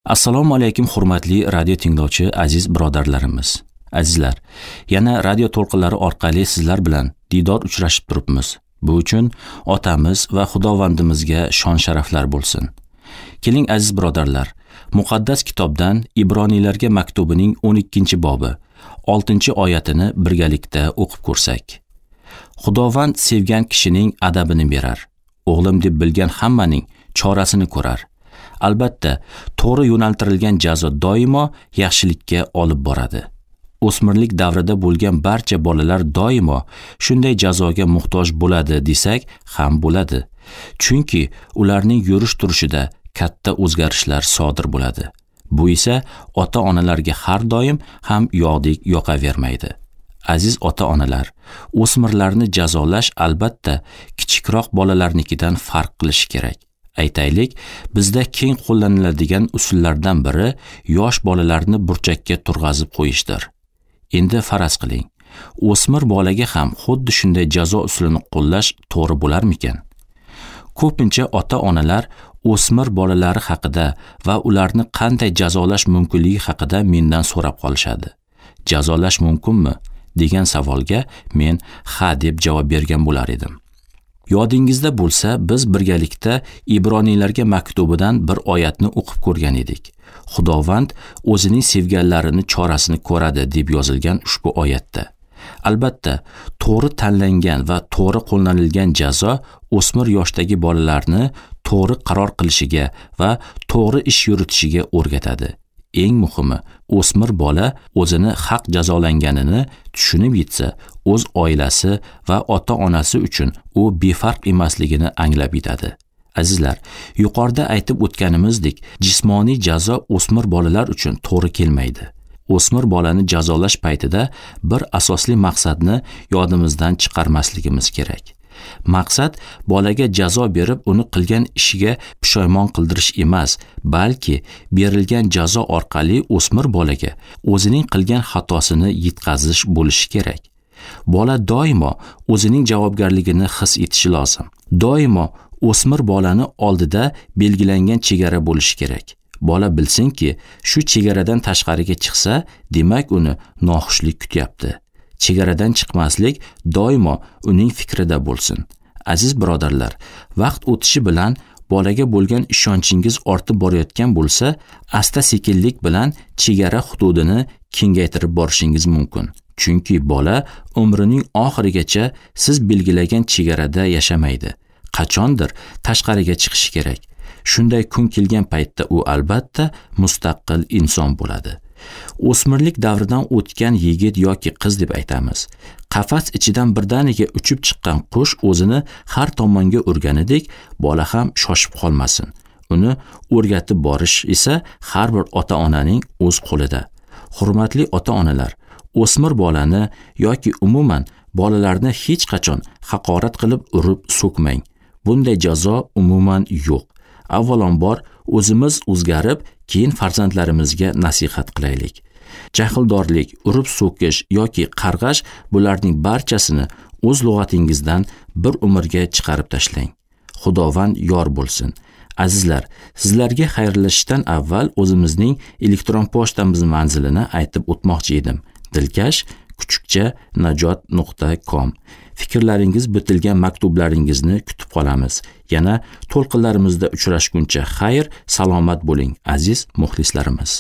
Assalomu alaykum, hurmatli radio tinglovchi aziz birodarlarimiz. Azizlar, yana radio to'lqinlari orqali sizlar bilan diydor uchrashib turibmiz. Bu uchun otamiz va Xudovandimizga shon-sharaflar bo'lsin. Keling aziz birodarlar, muqaddas kitobdan Ibroniylarga maktubining 12-bobi 6-oyatini birgalikda o'qib ko'rsak. Xudovand sevgan kishining adabini berar. O'g'lim deb bilgan hammaning chorasini ko'rar. Albatta, to'g'ri yo'naltirilgan jazo doimo yaxshilikka olib boradi. O'smirlik davrida bo'lgan barcha bolalar doimo shunday jazoga muhtoj bo'ladi desak ham bo'ladi. Chunki ularning yurish turishida katta o'zgarishlar sodir bo'ladi. Bu esa ota-onalarga har doim ham yog'dek yoqavermaydi. Aziz ota-onalar, o'smirlarni jazolash albatta kichikroq bolalarnikidan farq qilishi kerak. Aytaylik, bizda keng qo'llaniladigan usullardan biri yosh bolalarni burchakka turg'azib qo'yishdir. Endi faraz qiling, o'smir bolaga ham xuddi shunday jazo usulini qo'llash to'g'ri bo'larmikan? Ko'pincha ota-onalar o'smir bolalari haqida va ularni qanday jazolash mumkinligi haqida mendan so'rab qolishadi. Jazolash mumkinmi degan savolga men ha deb javob bergan bo'lar edim. Yodingizda bo'lsa, biz birgalikda Ibroniylarga maktubidan bir oyatni o'qib ko'rgan edik. Xudovand o'zining sevganlarini chorasini ko'radi deb yozilgan ushbu oyatda. Albatta, to'g'ri tanlangan va to'g'ri qo'llanilgan jazo o'smir yoshdagi bolalarni to'g'ri qaror qilishiga va to'g'ri ish yuritishiga o'rgatadi. Eng muhimi, o'smir bola o'zini haq jazolanganini tushunib yetsa, o'z oilasi va ota-onasi uchun u befarq emasligini anglab yetadi. Azizlar, yuqorida aytib o'tganimizdek, jismoniy jazo o'smir bolalar uchun to'g'ri kelmaydi. O'smir bolani jazolash paytida bir asosli maqsadni yodimizdan chiqarmasligimiz kerak. Maqsad bolaga jazo berib uni qilgan ishiga pushaymon qildirish emas, balki berilgan jazo orqali o'smir bolaga o'zining qilgan xatosini yetkazish bo'lishi kerak. Bola doimo o'zining javobgarligini his etishi lozim. Doimo o'smir bolani oldida belgilangan chegara bo'lishi kerak. Bola bilsinki, shu chegaradan tashqariga chiqsa, demak uni noxushlik kutyapti. Chegaradan chiqmaslik doimo uning fikrida bo'lsin. Aziz birodarlar, vaqt o'tishi bilan bolaga bo'lgan ishonchingiz ortib borayotgan bo'lsa, asta-sekinlik bilan chegara hududini kengaytirib borishingiz mumkin. Chunki bola umrining oxirigacha siz belgilagan chegarada yashamaydi. Qachondir tashqariga chiqishi kerak. Shunday kun kelgan paytda u albatta mustaqil inson bo'ladi. O'smirlik davridan o'tgan yigit yoki qiz deb aytamiz. Qafas ichidan birdaniga uchib chiqqan qush o'zini har tomonga urganidek, bola ham shoshib qolmasin. Uni o'rgatib borish esa har bir ota-onaning o'z qo'lida. Hurmatli ota-onalar, o'smir bolani yoki umuman bolalarni hech qachon haqorat qilib urib so'kmang. Bunday jazo umuman yo'q. Avvalambor o'zimiz o'zgarib, keyin farzandlarimizga nasihat qilaylik. Jahldorlik, urib so'kish yoki qarg'ash bularning barchasini o'z lug'atingizdan bir umrga chiqarib tashlang. Xudovand yor bo'lsin. Azizlar, sizlarga xayrlashishdan avval o'zimizning elektron pochtamiz manzilini aytib o'tmoqchi edim. dilkash@najot.com. Fikrlaringiz bitilgan maktublaringizni kutib qolamiz. Yana to'lqinlarimizda uchrashguncha xayr, salomat bo'ling, aziz muxlislarimiz.